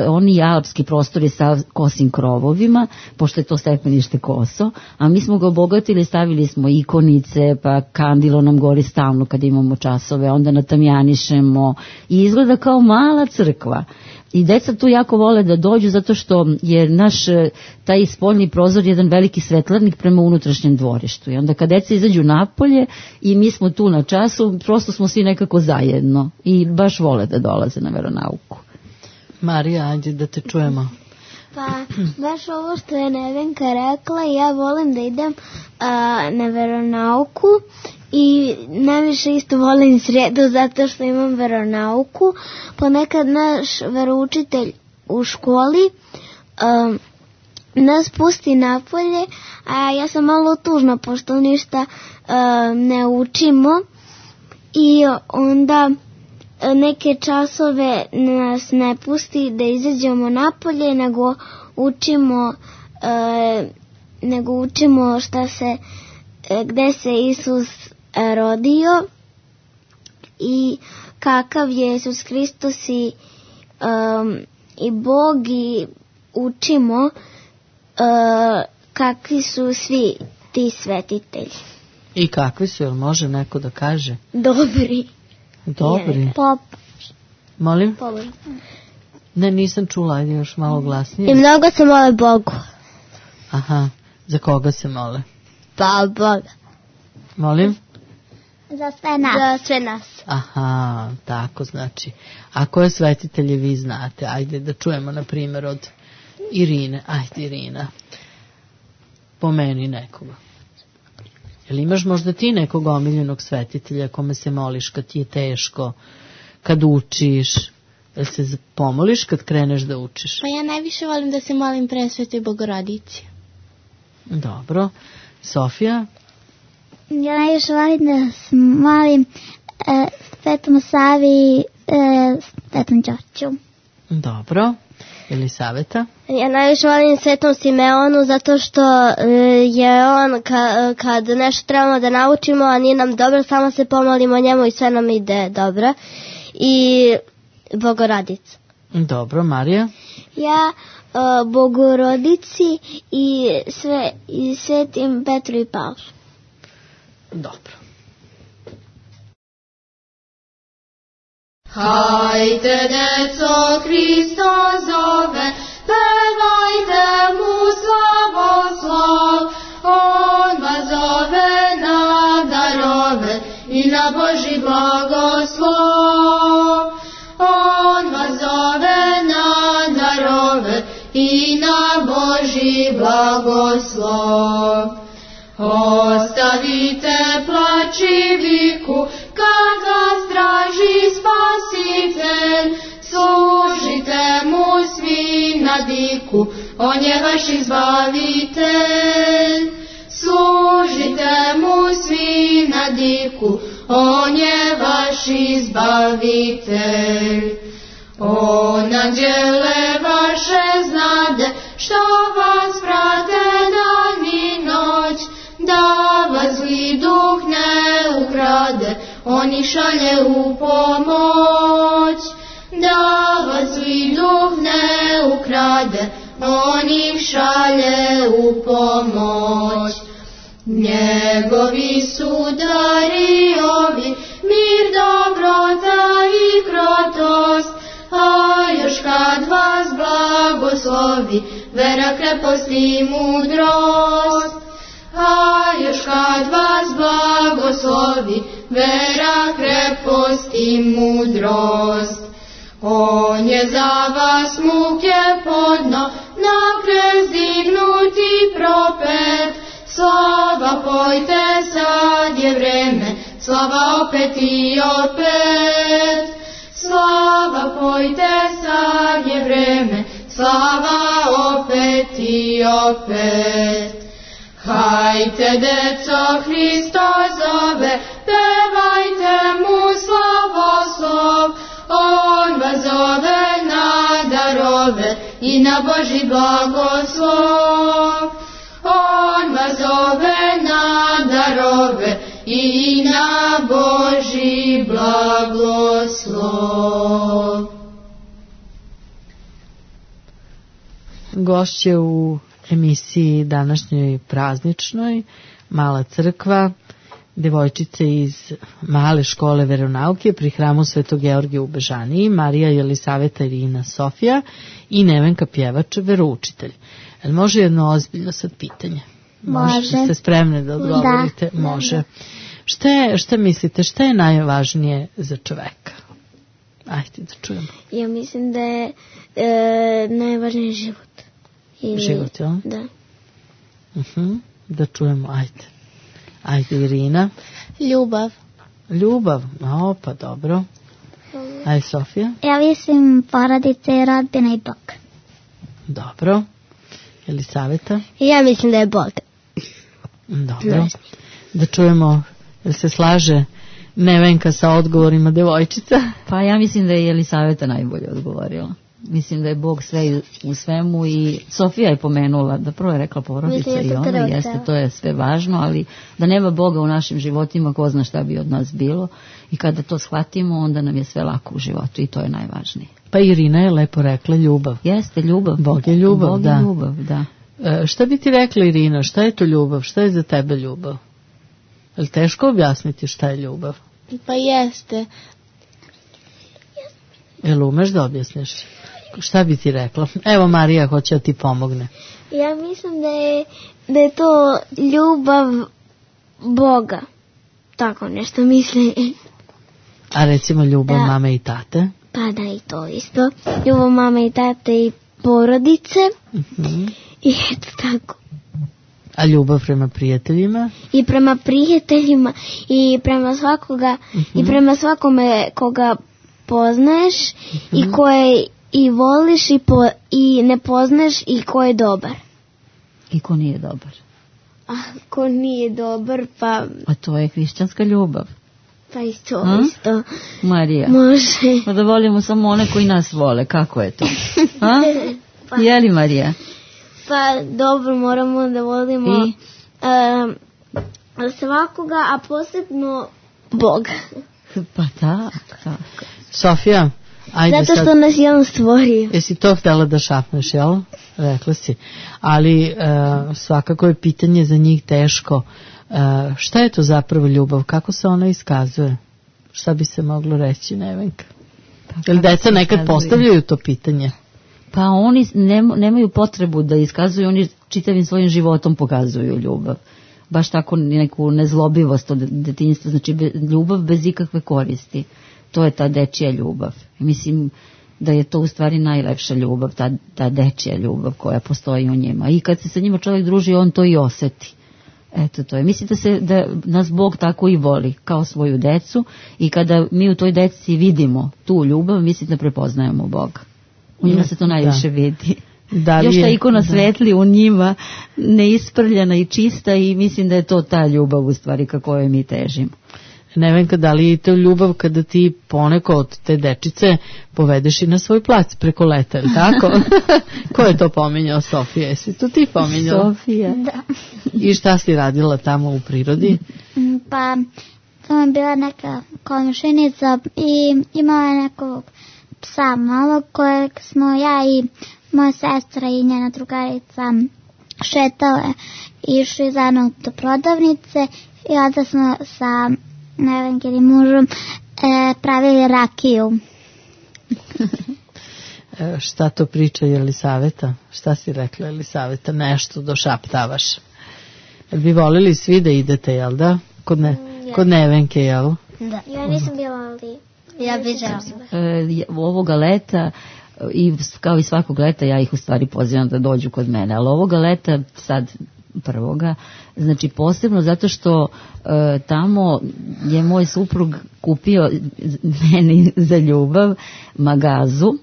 oni alpski prostori sa kosim krovovima, pošto je to stepenište koso, a mi smo ga obogatili, stavili smo ikonice, pa kandilo nam gori stalno kad imamo časove, onda natamjanišemo i izgleda kao mala crkva. I deca tu jako vole da dođu zato što je naš taj spoljni prozor jedan veliki svetlarnik prema unutrašnjem dvorištu. I onda kad deca izađu napolje i mi smo tu na času, prosto smo svi nekako zajedno i baš vole da dolaze na veronauku. Marija, ajde da te čujemo. Pa, baš ovo što je Nevenka rekla, ja volim da idem a, na veronauku i najviše isto volim sredu zato što imam veronauku. Ponekad naš veroučitelj u školi a, nas pusti napolje, a ja sam malo tužna pošto ništa a, ne učimo i onda neke časove nas ne pusti da izađemo napolje, nego učimo e, nego učimo šta se e, gde se Isus rodio i kakav je Isus Hristos i, um, i Bog, i učimo uh, kakvi su svi ti svetitelji. I kakvi su, jel može neko da kaže? Dobri. Dobri. Pop. Molim? Pop. Ne, nisam čula, ajde još malo glasnije. I mnogo se mole Bogu. Aha, za koga se mole? Pa Boga. Molim? Za sve nas. Za sve nas. Aha, tako znači. A koje svetitelje vi znate? Ajde da čujemo na primjer od Irine. Ajde Irina, pomeni nekoga. Jel imaš možda ti nekog omiljenog svetitelja kome se moliš kad ti je teško, kad učiš? Jel se pomoliš kad kreneš da učiš? Pa ja najviše volim da se molim Presvetoj Bogorodici. Dobro. Sofija? Ja najviše volim da se molim e, Svetom Savi i e, Svetom Đorđu. Dobro. Elisaveta? Ja najviše volim Svetom Simeonu zato što e, je on ka, kad nešto trebamo da naučimo, a nije nam dobro, samo se pomolimo njemu i sve nam ide dobro. I Bogorodica. Dobro, Marija? Ja uh, Bogorodici i, sve, i Svetim Petru i Pavlu. Dobro. Hajde, deco, Hristo zove, pevajte mu slavoslav. On vas zove na darove i na Božji blagoslov. On vas zove na darove i na Božji blagoslov. Ostavite plač i viku, kad vas on je vaš izbavitelj. Služite mu svi na diku, on je vaš izbavitelj. O, anđele vaše znade, što vas prate dan i noć, da vas zli duh ne ukrade, on ih šalje u pomoć. Da vas zli duh ne ukrade, on ih šalje u pomoć. Njegovi su dari ovi, mir, dobrota i krotost, a još kad vas blagoslovi, vera, krepost i mudrost. A još kad vas blagoslovi, vera, krepost i mudrost. On je za vas muke podno, na krst dignuti propet. Slava pojte, sad je vreme, slava opet i opet. Slava pojte, sad je vreme, slava opet i opet. Hajte, deco, Hristo zove, pevajte mu slavoslov. On vas zove na darove i na Božji blagoslov. On vas zove na darove i na Božji blagoslov. Gošće u emisiji današnjoj prazničnoj Mala crkva, devojčice iz male škole veronauke pri hramu Svetog Georgija u Bežaniji, Marija, Jelisaveta, Irina, Sofija i Nevenka pjevač, veroučitelj. Jel može jedno ozbiljno sad pitanje? Može. Ste spremne da odgovorite? Da. Može. Šta, je, šta mislite, šta je najvažnije za čoveka? Ajde da čujemo. Ja mislim da je e, najvažniji život. Ili, Život, jel? Da. Uh-huh. Da čujemo, ajde. Ajde, Irina. Ljubav. Ljubav, o, pa dobro. Ajde, Sofija. Ja mislim porodice, rodbina i Bog. Dobro. Jelisaveta. Ja mislim da je Bog. Dobro. Da čujemo, jel se slaže Nevenka sa odgovorima devojčica? Pa ja mislim da je Jelisaveta najbolje odgovorila. Mislim da je Bog sve u svemu i Sofija je pomenula, da prvo je rekla porodica i ona, jeste, to je sve važno, ali da nema Boga u našim životima, ko zna šta bi od nas bilo, i kada to shvatimo, onda nam je sve lako u životu i to je najvažnije. Pa Irina je lepo rekla ljubav. Jeste, ljubav. Bog je ljubav, Bog da. je ljubav, da. E, šta bi ti rekla, Irina, šta je to ljubav, šta je za tebe ljubav? Je li teško objasniti šta je ljubav? Pa jeste. Jel umeš da objasniš? Šta bi ti rekla? Evo, Marija hoće da ti pomogne. Ja mislim da je, da je to ljubav Boga. Tako nešto mislim. A recimo ljubav Da. mame i tate? Pa da, i to isto. Ljubav mame i tate i porodice. Uh-huh. I eto tako. A ljubav prema prijateljima? I prema prijateljima i prema svakoga Uh-huh. i prema svakome koga poznaješ Uh-huh. i koje i voliš i, po, i ne poznaš i ko je dobar. I ko nije dobar. A ko nije dobar, pa, A to je hrišćanska ljubav. pa isto, A? isto. Marija. Može. Pa da volimo samo one koji nas vole, kako je to? A? Pa, Je li, Marija? pa dobro, moramo da volimo I? um, svakoga, a posebno Boga. Pa tako, tako. Sofija, ajde Zato što sad. nas je on stvorio. Jesi to htjela da šapneš, jel? Rekla si. Ali e, svakako je pitanje za njih teško. E, šta je to zapravo ljubav? Kako se ona iskazuje? Šta bi se moglo reći, Nevenka? Pa Jel kako deca se nekad iskazuje? postavljaju to pitanje? Pa oni nem, nemaju potrebu da iskazuju, oni čitavim svojim životom pokazuju ljubav. Baš tako neku nezlobivost od detinjstva, znači be, ljubav bez ikakve koristi. To je ta dečija ljubav. Mislim da je to u stvari najlepša ljubav, ta, ta dečija ljubav koja postoji u njima. I kad se sa njima čovjek druži, on to i osjeti. Eto to je. Mislim da, se, da nas Bog tako i voli, kao svoju decu, i kada mi u toj deci vidimo tu ljubav, mislim da prepoznajemo Boga. U njima se to najviše Da. vidi. Da li još ta je- ikona da. svetli u njima, neisprljana i čista, i mislim da je to ta ljubav u stvari ka kojoj mi težimo. Nevenka, da li je to ljubav kada ti poneko od te dečice povedeš i na svoj plac preko leta, ili tako? Ko je to pominjao? Sofija, jesi to ti pominjala? Sofija. Da. I šta si radila tamo u prirodi? Mm, Pa, to je bila neka komšinica i imala je nekog psa malog kojeg smo ja i moja sestra i njena drugarica šetale, išli zajedno do prodavnice i onda smo sa Nevenkinim mužom e, pravili rakiju. E, šta to priča Jelisaveta? Šta si rekla Jelisaveta? Nešto došaptavaš. Jel bi volili svi da idete, jel da? Kod, ne, kod Nevenke, jel? Da. Ja nisam bila, ali... Ja bih žela. E, ovoga leta, i kao i svakog leta, ja ih u stvari pozivam da dođu kod mene, ali ovoga leta sad prvoga, znači posebno zato što e, tamo je moj suprug kupio meni za ljubav magazu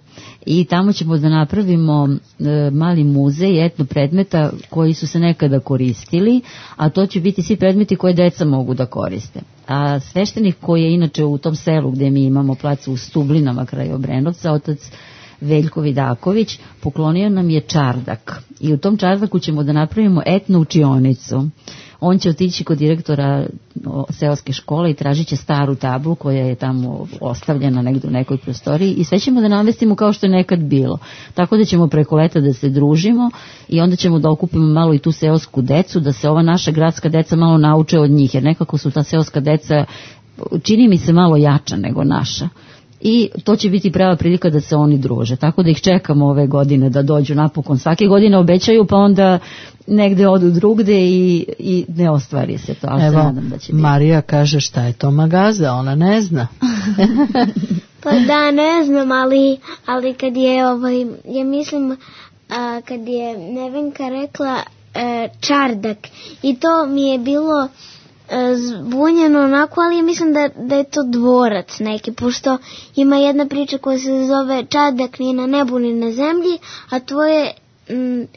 i tamo ćemo da napravimo e, mali muzej etno predmeta koji su se nekada koristili, a to će biti svi predmeti koje deca mogu da koriste. A sveštenik koji je inače u tom selu gde mi imamo plac u Stublinama kraj Obrenovca, otac Veljko Vidaković, poklonio nam je čardak i u tom čardaku ćemo da napravimo etno učionicu. On će otići kod direktora seoske škole i tražit će staru tablu koja je tamo ostavljena negdje u nekoj prostoriji i sve ćemo da namestimo kao što je nekad bilo. Tako da ćemo preko leta da se družimo i onda ćemo da okupimo malo i tu seosku decu, da se ova naša gradska deca malo nauče od njih, jer nekako su ta seoska deca, čini mi se, malo jača nego naša. I to će biti prava prilika da se oni druže. Tako da ih čekamo ove godine da dođu napokon. Svake godine obećaju, pa onda negde odu drugde i, i ne ostvari se to. Ali Evo, se nadam da će biti. Marija kaže šta je to magaza, ona ne zna. Pa da, ne znam, ali, ali kad je, ovaj, ja mislim, a, kad je Nevenka rekla e, čardak, i to mi je bilo e, zbunjeno onako, ali ja mislim da, da je to dvorac neki, pošto ima jedna priča koja se zove čardak ni na nebu ni na zemlji, a to je... Mm,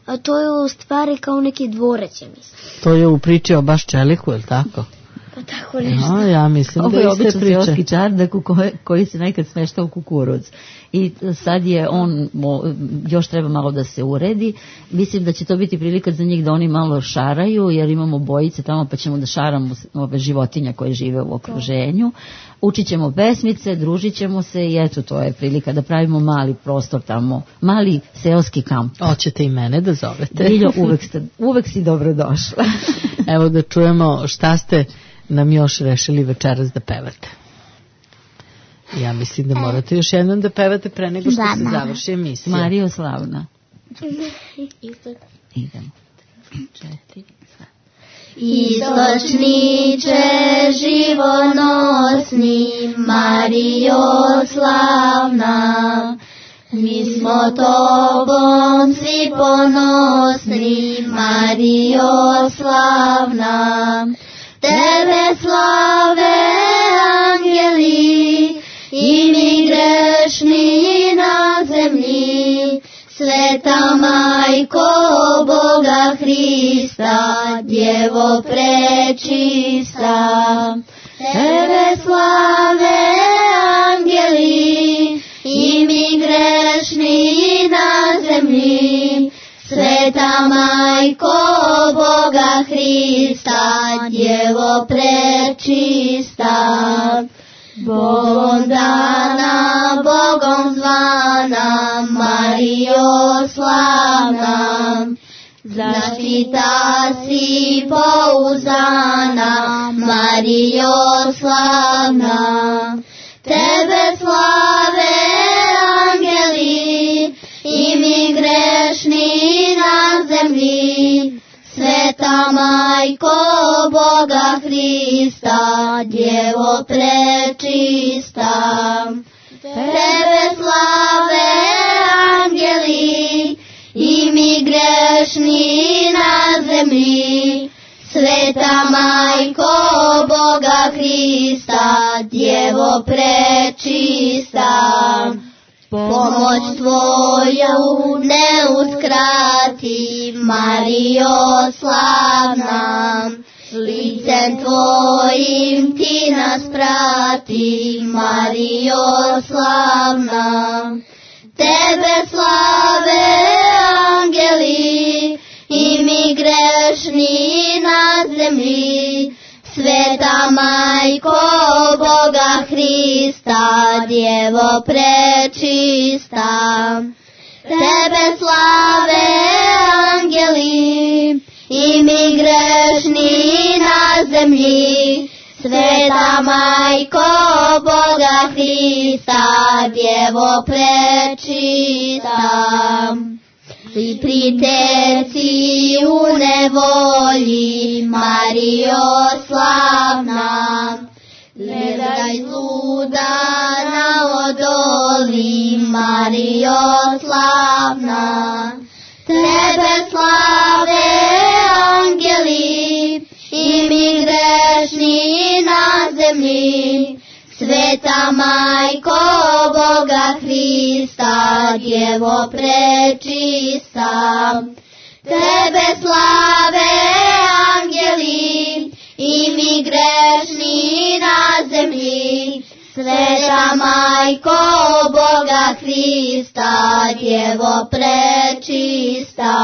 a to je u stvari kao neki dvorac, ja mislim. To je u priči o baš čeliku, je li tako? Pa tako nešto. No, ja mislim Ovo da je iste običan priče. seoski čardak u koje, koji se nekad smeštao u kukuruz. I sad je on, mo, još treba malo da se uredi. Mislim da će to biti prilika za njih da oni malo šaraju, jer imamo bojice tamo pa ćemo da šaramo ove životinja koje žive u okruženju. Učit ćemo pesmice, družit ćemo se i eto, to je prilika da pravimo mali prostor tamo, mali seoski kamp. Hoćete i mene da zovete. Biljo, uvek, ste, uvek si dobro došla. Evo da čujemo šta ste nam još rešili večeras da pevate. Ja mislim da morate još jednom da pevate pre nego što Da, se da. završi emisija. Marijo Slavna. Isto. Idemo. Četiri. Istočniče živonosni, Marijo slavna, mi smo tobom svi ponosni, Marijo slavna. Tebe slave angeli i mi grešni na zemlji, Sveta Majko Boga Hrista, Djevo prečista. Tebe slave angeli i mi grešni na zemlji, Sveta Majko Boga Hrista, Djevo prečista. Bogom dana, Bogom zvana, Marijo slavna, zaštita si pouzdana, Marijo slavna. Tebe slave angeli i mi grešni na zemlji, Sveta Majko Boga Hrista, Djevo prečista. Tebe slave angeli i mi grešni na zemlji, Sveta Majko Boga Hrista, Djevo prečista. pomoć tvoju ne uskrati, Marijo slavna. Licem tvojim ti nas prati, Marijo slavna. Tebe slave angeli i mi grešni na zemlji, Sveta Majko Boga Hrista, Djevo prečista. Tebe slave angeli i mi grešni na zemlji, Sveta Majko Boga Hrista, Djevo prečista. I priteci u nevolji, Marijo slavna, gledaj zluda na odoli, Marijo slavna. Tebe slave angeli i mi grešni na zemlji, Sveta Majko Boga Hrista, Djevo prečista. Tebe slave angeli i mi grešni na zemlji, Sveta Majko Boga Hrista, Djevo prečista.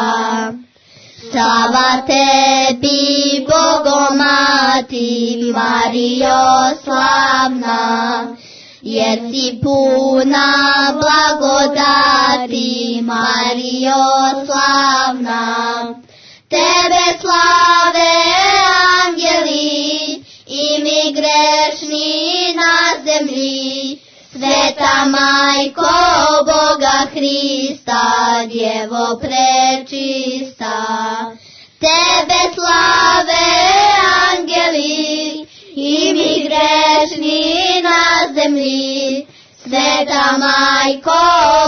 Slava tebi, Bogomati, Marijo slavna, jer si puna blagodati, Marijo slavna. Tebe slave angeli i mi grešni na zemlji, Sveta Majko Boga Hrista, Djevo prečista. Tebe slave angeli i mi grešni na zemlji, Sveta Majko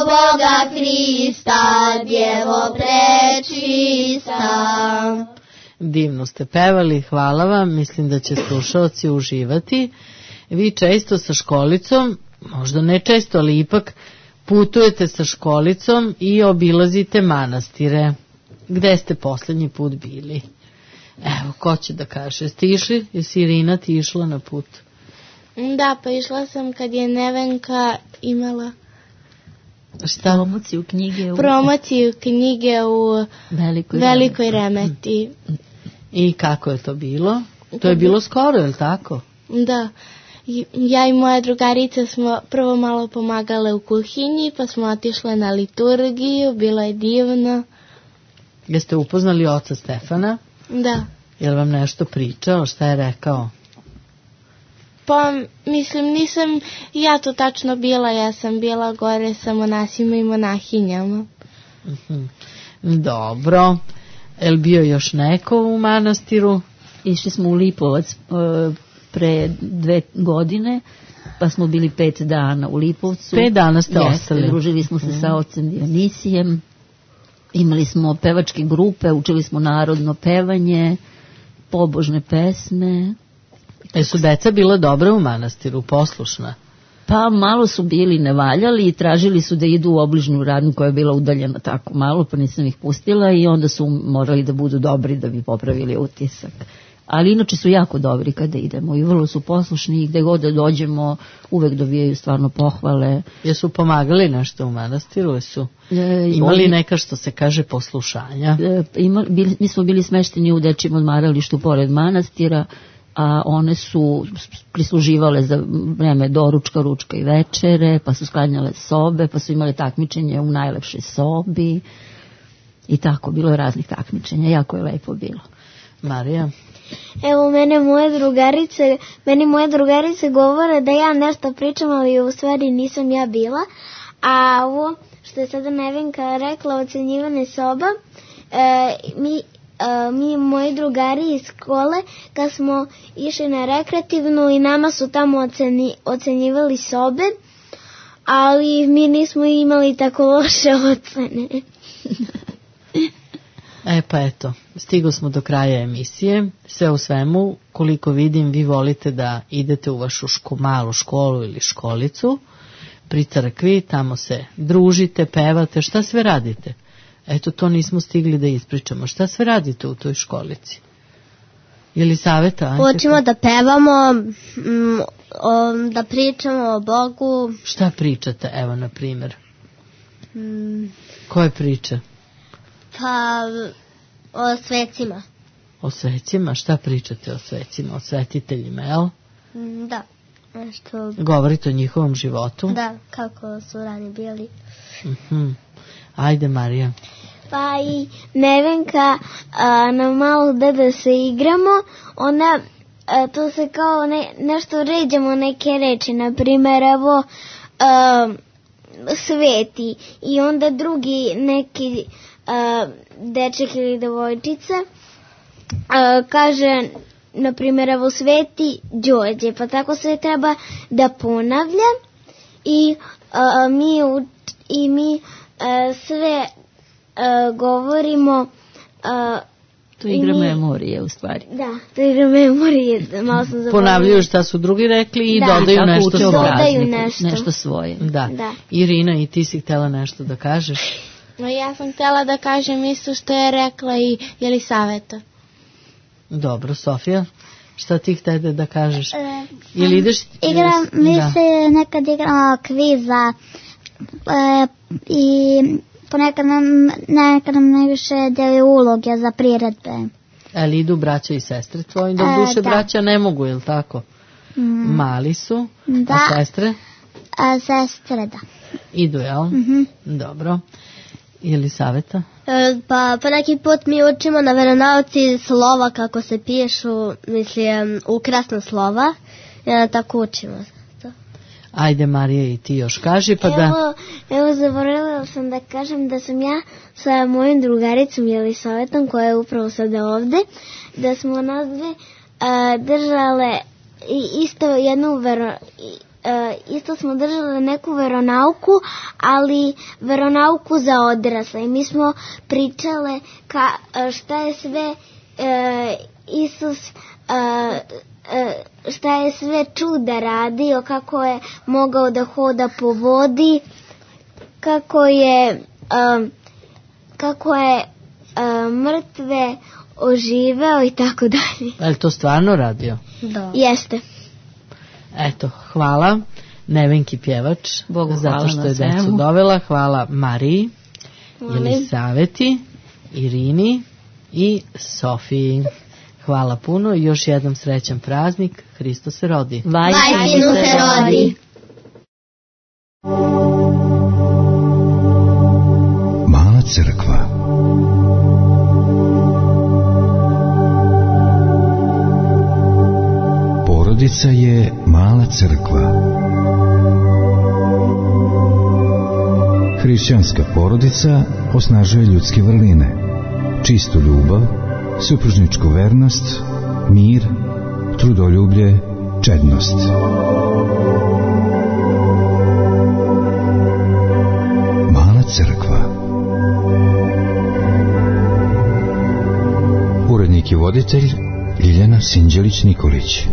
Boga Hrista, Djevo prečista. Divno ste pevali, hvala vam, mislim da će slušaoci uživati. Vi često sa školicom, možda ne često, ali ipak putujete sa školicom i obilazite manastire. Gde ste poslednji put bili? Evo, ko će da kaže? Jeste išli? Jesi Irina ti išla na put? Da, pa išla sam kad je Nevenka imala šta? Promociju knjige u, promociju knjige u Velikoj, Velikoj Remeti. I kako je to bilo? To je bilo skoro, je li tako? Da. Ja i moja drugarica smo prvo malo pomagale u kuhinji, pa smo otišle na liturgiju, bilo je divno. Jeste upoznali oca Stefana? Da. Je li vam nešto pričao, šta je rekao? Pa, mislim, nisam ja to tačno bila, ja sam bila gore sa monasima i monahinjama. Uh-huh. Dobro. Je li bio još neko u manastiru? Išli smo u Lipovac uh, pre dve godine, pa smo bili pet dana u Lipovcu. Pet dana ste Jeste, ostali. Družili smo se sa ocem Dionisijem, imali smo pevačke grupe, učili smo narodno pevanje, pobožne pesme. E su deca bila dobra u manastiru, poslušna? Pa malo su bili nevaljali i tražili su da idu u obližnju radnju koja je bila udaljena tako malo, pa nisam ih pustila i onda su morali da budu dobri da bi popravili utisak. Ali inače su jako dobri kada idemo i vrlo su poslušni i gde god da dođemo uvek dobijaju stvarno pohvale. Jesu pomagali nešto u manastiru? Jesu e, imali oni, neka što se kaže poslušanja? E, ima, bili, mi smo bili smešteni u dečjem odmaralištu pored manastira, a one su prisluživale za vreme doručka, ručka i večere, pa su sklanjale sobe, pa su imale takmičenje u najlepšoj sobi i tako, bilo je raznih takmičenja, jako je lepo bilo. Marija? Evo, mene moje drugarice, meni moje drugarice govore da ja nešto pričam, ali u stvari nisam ja bila. A ovo što je sada Nevenka rekla, ocenjivane soba, e, mi, e, mi moji drugari iz škole, kad smo išli na rekreativnu i nama su tamo oceni, ocenjivali sobe, ali mi nismo imali tako loše ocene. E pa eto, stigli smo do kraja emisije. Sve u svemu, koliko vidim, vi volite da idete u vašu ško, malu školu ili školicu. pri crkvi, tamo se družite, pevate, šta sve radite? Eto, to nismo stigli da ispričamo. Šta sve radite u toj školici? Ili saveta? Učimo da pevamo, m, o, da pričamo o Bogu. Šta pričate, evo, na primjer? M, Koje priče? Pa, o svecima. O svecima? Šta pričate o svecima? O svetiteljima, jel? M, Da, nešto... Govorite o njihovom životu? Da, kako su rani bili. Mhm. Ajde, Marija. Pa i Nevenka a, na malo gde da se igramo, ona a, to se kao ne, nešto ređamo neke reči, na primjer evo a, sveti i onda drugi neki a, deček ili devojčica a, kaže na primjer evo sveti Đorđe, pa tako se treba da ponavlja i a, mi u, i mi a, sve Uh, govorimo uh, to je igra mi, memorije u stvari. Da, to je igra memorije, malo sam zaboravila. Ponavljaju šta su drugi rekli i da, dodaju nešto svoje. Dodaju nešto. nešto svoje. Da. Da. Irina, i ti si htjela nešto da kažeš? No, ja sam htjela da kažem isto što je rekla i Jelisaveta. Dobro, Sofija, šta ti htjede da kažeš? E, Ili ideš... Igram, mi da. se nekad igramo kviza e, i ponekad nam, nekad nam najviše deli uloge za priredbe. Ali idu braća i sestre tvoji? Do E, duše da. braća ne mogu, je li tako? Mm, Mali su, Da. a sestre? a sestre, da. Idu, jel? Mhm. Dobro. Ili saveta? E, pa, pa neki put mi učimo na veronauci slova kako se pišu, mislim, ukrasna slova. Ja, tako učimo. Ajde, Marija, i ti još kaži, pa da... Evo, evo zaboravila sam da kažem da sam ja sa mojim drugaricom Jelisavetom, koja je upravo sada ovde, da smo nas dve uh, držale i isto jednu vero, i, uh, isto smo držale neku veronauku, ali veronauku za odrasle. I mi smo pričale ka, uh, šta je sve uh, Isus uh, šta je sve čuda radio, kako je mogao da hoda po vodi, kako je um, kako je um, mrtve oživeo i tako dalje. Je li to stvarno radio? Da. Jeste. Eto, hvala Nevenki pjevač, Bogu zato hvala što na je decu svemu. dovela. Hvala Mariji, Molim. Jelisaveti, Irini i Sofiji. Hvala puno i još jedan srećan praznik. Hristos se rodi. Vajsinu se rodi. Mala crkva. Porodica je mala crkva. Hrišćanska porodica osnažuje ljudske vrline, čistu ljubav, supružničku vernost, mir, trudoljublje, čednost. Mala crkva. Urednik i voditelj Ljiljana Sinđelić-Nikolić.